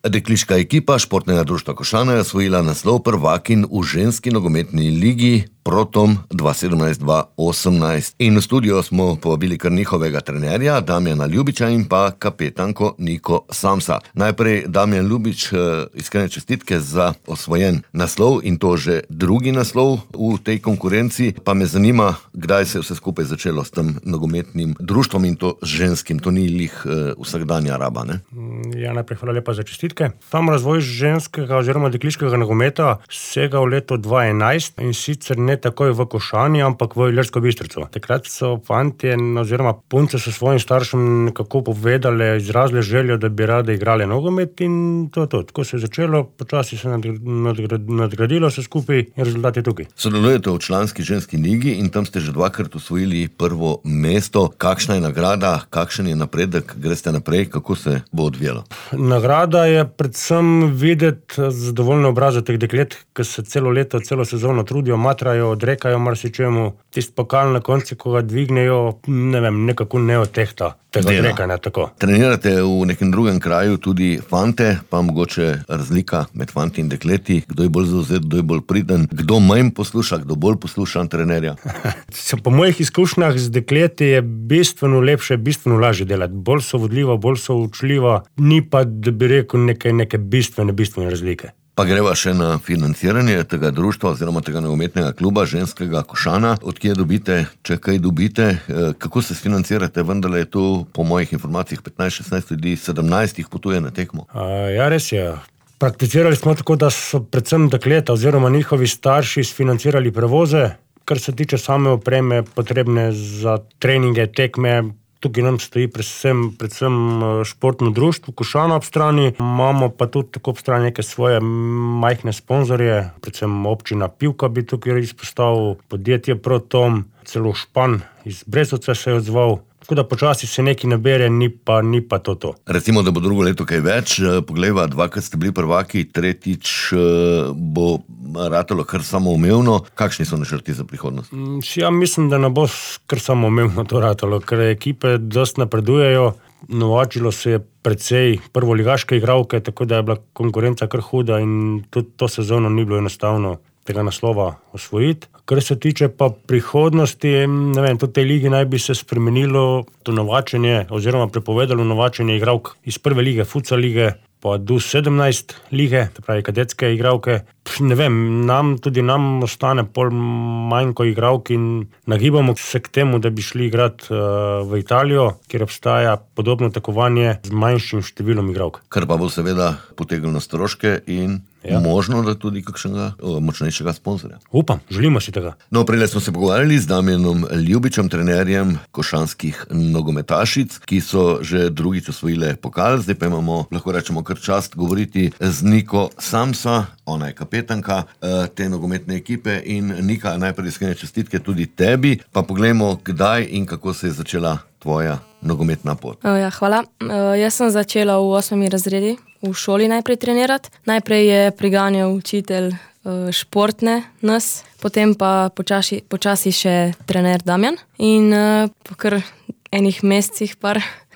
Dekliška ekipa Športnega društva Košana je osvojila naslov prvakinj v ženski nogometni ligi Protom 2017-2018. In v studio smo povabili kar njihovega trenerja Damjana Ljubiča in pa kapetanko Niko Samsa. Najprej Damjan Ljubič, iskrene čestitke za osvojen naslov in to že drugi naslov v tej konkurenci. Pa me zanima, kdaj se je vse skupaj začelo s tem nogometnim društvom in to ženskim. To ni lih vsakdanja raba, ne? Ja, najprej hvala lepa za čestitke. Tam razvoj ženskega oziroma dekliškega nogometa sega v leto 2011 in sicer ne takoj v Košani, ampak v Ilirsko Bistrico. Takrat so fantje oziroma punce so svojim staršem nekako povedali, izrazile željo, da bi rade igrale nogomet in to. Tako se je začelo, počasi se nadgradilo vse skupaj in rezultat je tukaj. Sodelujete v članski ženski ligi in tam ste že dvakrat osvojili prvo mesto. Kakšna je nagrada, kakšen je napredek, greste naprej, kako se bo odvijalo? Nagrada je predvsem videti zadovoljne obraze teh deklet, ki se celo leto, celo sezono trudijo, matrajo, odrekajo marsičemu. Tisti pokal na koncu, ko ga dvignejo, ne vem, nekako ne odtehta tega odrekanja, tako. Trenirate v nekem drugem kraju tudi fante, pa mogoče razlika med fanti in dekleti, kdo je bolj zavzet, kdo je bolj priden, kdo manj posluša, kdo bolj posluša trenerja? Po mojih izkušnjah z dekleti je bistveno lepše, bistveno lažje delati. Bolj so vodljiva, bolj so učljiva, ni pa, da bi rekel, neke bistvene razlike. Pa greva še na financiranje tega društva oziroma tega nogometnega kluba ženskega Košana. Odkje dobite, če kaj dobite, kako se financirate? Vendar je tu po mojih informacijah 15-16 ljudi, 17 jih potuje na tekmo. Ja, res je. Prakticirali smo tako, da so predvsem dekleta oziroma njihovi starši sfinancirali prevoze, kar se tiče same opreme, potrebne za treninge, tekme. Tukaj nam stoji predvsem športno društvo Košana ob strani. Imamo pa tudi tako ob strani neke svoje majhne sponzorje, predvsem občina Pivka bi tukaj izpostavil, podjetje Protom, celo Špan iz Brezovice se je odzval. Tako da počasi se nekaj nabere, ni pa to. Recimo, da bo drugo leto kaj več, poglejva, dvakrat ste bili prvaki, tretjič bo ratalo kar samoumevno. Kakšni so načrti za prihodnost? Ja, mislim, da ne bo kar samoumevno to ratalo, ker ekipe dosti napredujejo. Novačilo se je precej prvoligaške igralke, tako da je bila konkurenca kar huda in tudi to sezono ni bilo enostavno tega naslova osvojiti. Kar se tiče pa prihodnosti, ne vem, tudi tej ligi naj bi se spremenilo to novačenje oziroma prepovedalo novačenje igralk iz prve lige, futsal lige, pa do 17 lige, to pravi kadetske igralke. Ne vem, tudi nam ostane pol manjko igralk in nagibamo se k temu, da bi šli igrati v Italijo, kjer obstaja podobno tekmovanje z manjšim številom igralk. Kar pa bo seveda potegnilo stroške in možno, da tudi kakšnega močnejšega sponzorja. Upam, želimo si tega. No, prej smo se pogovarjali z Damjanom Ljubičem, trenerjem košanskih nogometašic, ki so že drugič osvojile pokal. Zdaj pa imamo, lahko rečemo, kar čast govoriti z Niko Samsa, ona je kapetanka te nogometne ekipe in Nika, najprej iskrene čestitke tudi tebi, pa poglejmo, kdaj in kako se je začela tvoja nogometna pot. Ja, hvala. Jaz sem začela v 8. razredi v šoli najprej trenirati. Najprej je priganjal učitelj športne nas, potem pa počasi še trener Damjan. In po kar enih mesecih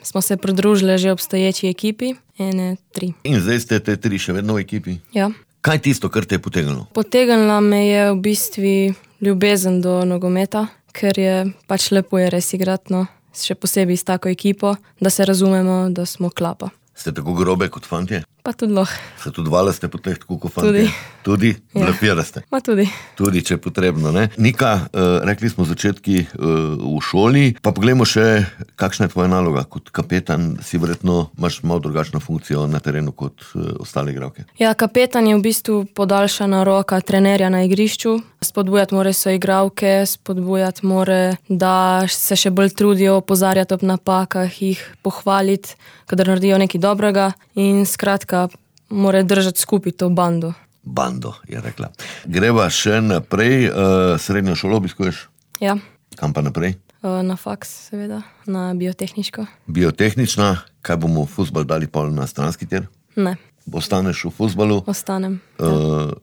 smo se pridružili že obstoječi ekipi, 3. In zdaj ste te 3 še vedno v ekipi? Ja. Kaj tisto, kar te je potegnilo? Potegnila me je v bistvu ljubezen do nogometa, ker je lepo je res igrati, no. Še posebej s tako ekipo, da se razumemo, da smo klapa. Ste tako grobe kot fantje? Pa tudi lahko. Se tudi vale ste po teh tako kot fantje? Tudi? Blefiraste? Ma tudi. Tudi, če je potrebno, ne? Nika, rekli smo začetki v šoli, pa poglejmo še, kakšna je tvoja naloga kot kapetan, si verjetno imaš malo drugačno funkcijo na terenu kot ostale igralke. Ja, kapetan je v bistvu podaljšana roka trenerja na igrišču. Spodbujati more so igralke, spodbujati more, da se še bolj trudijo, opozarjati ob napakah, jih pohvaliti, kadar naredijo nekaj dobrega in skratka, more držati skupaj to bando. Bando, je rekla. Greva še naprej, srednjo šolo obiskuješ? Ja. Kam pa naprej? Na faks, seveda, na biotehniško. Biotehnična, kaj bomo v fuzbal dali pol na stranski tir? Ne. Ostaneš v fuzbalu? Ostanem.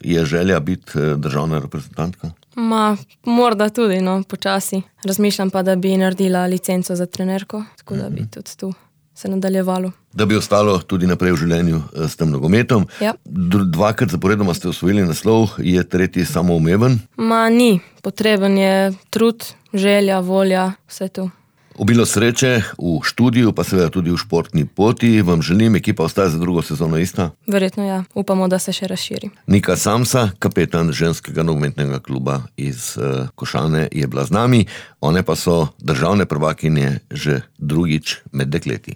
Je želja biti državna reprezentantka? Morda tudi, no, počasi. Razmišljam pa, da bi naredila licenco za trenerko, tako da bi tudi tu se nadaljevalo. Da bi ostalo tudi naprej v življenju s tem nogometom. Ja. Dvakrat zaporedoma ste osvojili naslov, je tretji samoumeven? Ni, potreben je trud, želja, volja, vse to. Obilo sreče v študiju, pa seveda tudi v športni poti. Vam želim, ekipa ostaja za drugo sezono ista? Verjetno ja, upamo, da se še razširi. Nika Samsa, kapetan ženskega nogometnega kluba iz Košane, je bila z nami. One pa so državne prvakinje že drugič med dekleti.